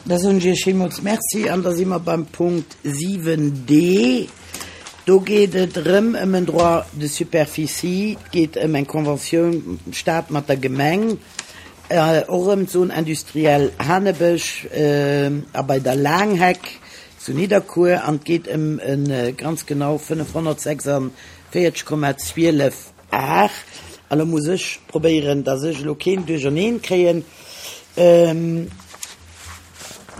Da soen ech Iech villmools Merci an da si mer beim Punkt 7d. Do geet et erëm ëm en Droit de superficie. Et geet ëm eng Conventioun Stat mat der Gemeng, och erëm d'Zone industrielle Hanebësch a bei der Laangheck zu Nidderkuer an et geet ëm e ganz genau 546,12 Ar. A lo muss ech probéieren, dass ech elo keen Duercherneen kréien.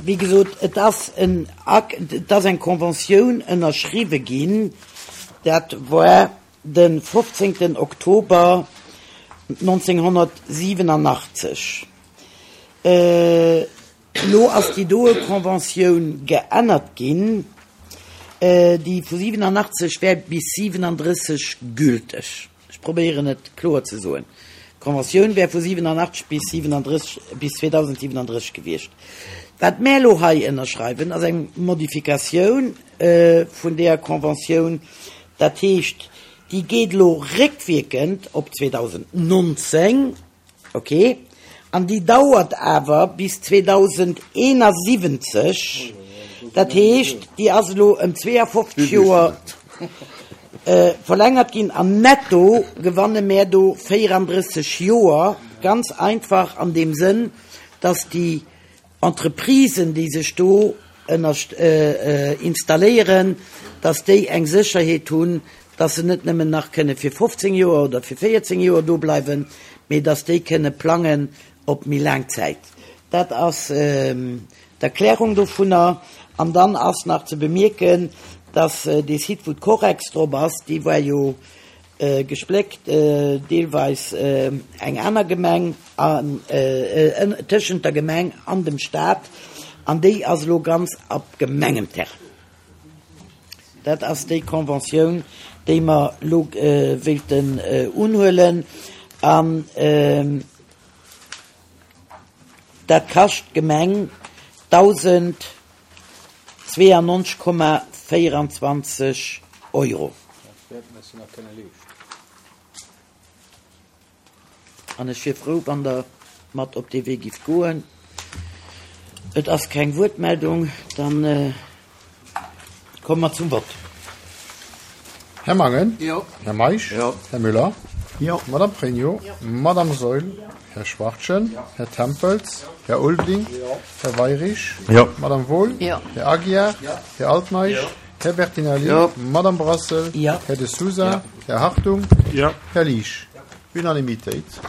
Wéi gesot, et ass en Ak-, et ass eng Conventioun ënnerschriwwe ginn, dat war de 15. Oktober 1987. Elo ass déi doe Conventioun geännert ginn, déi vu 87 wär bis 37 gülteg. Ech probéieren et kloer ze soen. D'Conventioun wär vu 87 bis 37, bis 2037 gewiescht. Wat mär elo hei ënnerschreiwen, ass eng Modifikatioun vun deeër Conventioun. Dat heescht, déi geet elo réckwierkend op 2019. Ok, an déi dauert awer bis 2071, dat heescht déi ass elo ëm 52 Joer verlängert ginn an netto gewanne mär do 34 Joer, ganz einfach an deem Sënn, dass déi Entreprisen, déi sech do installéieren, dass déi eng Sécherheet hunn, dass se net nëmmen nach kënne fir 15 Joer oder fir 14 Joer do bleiwen, mee dass déi kënne plangen op méi laang Zäit. Dat ass d'Erklärung dovunner. An dann ass nach ze bemierken, dass dee Site, wou d'Correx drop ass, dee war jo gespléckt, deelweis eng aner Gemeng, an tëschent der Gemeng an dem Stat, an déi ass elo ganz op Gemengenterrain. Dat ass déi Conventioun, déi mer elo wéilten unhuelen, an dat kascht d'Gemeng 1.092,24 Euro. An ech wier frou, wann Der mat op dee Wee gifft goen. Et ass keng Wuertmeldung. Da komme mer zum Vott. Här Mangen. Jo. Här Meisch. Jo. Här Müller. Jo. Madame Pregno. Jo. Madame Saeul. Jo. Här Schwachtgen. Jo. Här Tempels. Här Ulveling. Jo. Här Weirich. Jo. Madame Wohl. Jo. Här Aguiar. Jo. Här Altmeisch. Jo. Här Bertinelli. Jo. Madame Brassel. Jo. Här De Sousa. Jo. Här Hartung. Jo. Här Liesch. Unanimitéit.